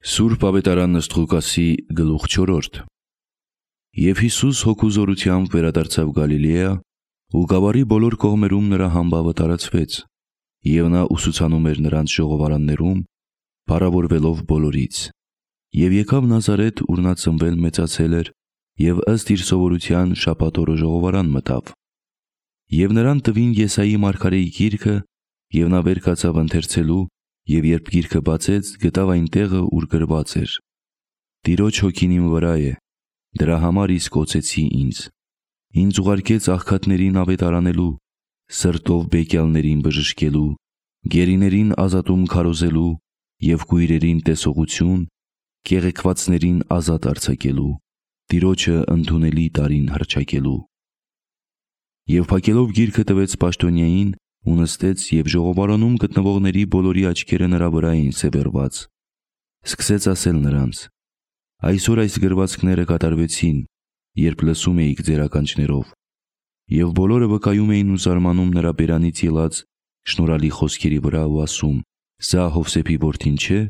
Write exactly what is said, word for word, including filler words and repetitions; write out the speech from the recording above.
Սուրբ Ավետարան ըստ Ղուկասի գլուխ չորրորդ։ Եվ Հիսուս հոգուզորությամբ վերադարձավ Գալիլեա, ու գավառի բոլոր կողմերում նրա համբավը տարածվեց, և նա ուսուցանում էր նրանց ժողովարաններում, փառավորվելով բոլորից։ Եվ եկավ Նազարեթ, ուր նա ծնվել մեծացել էր, և ըստ իր սովորության շաբաթ օրը ժողովարան մտավ։ Եվ նրան տվին Եսայի մարգարեի գիրքը, և նա վեր կացավ ընթերցելու, և երբ գիրքը բացեց, գտավ այն տեղը, ուր գրված էր. «Տիրոջ հոգին իմ վրա է, դրա համար իսկ օծեցի ինձ. ինձ ուղարկեց աղքատներին ավետարանելու, սրտով բեկյալներին բժշկելու, գերիներին ազատում քարոզելու և կույրերին տեսողություն, կեղեքվածներին ազատ արձակելու, Տիրոջը ընդունելի տարին հռչակելու»։ Եվ փակելով գիրքը տվեց պաշտոնյային ու նստեց, և ժողովարանում գտնվողների բոլորի աչքերը նրա վրա էին սևեռված։ Սկսեց ասել նրանց. «Այսօր այս գրվածքները կատարվեցին, երբ լսում էիք ձեր ականջներով»։ Եվ բոլորը վկայում էին ու զարմանում նրա բերանից ելած շնորհալի խոսքերի վրա ու ասում. «Սա Հովսեփի որդին չէ՞»։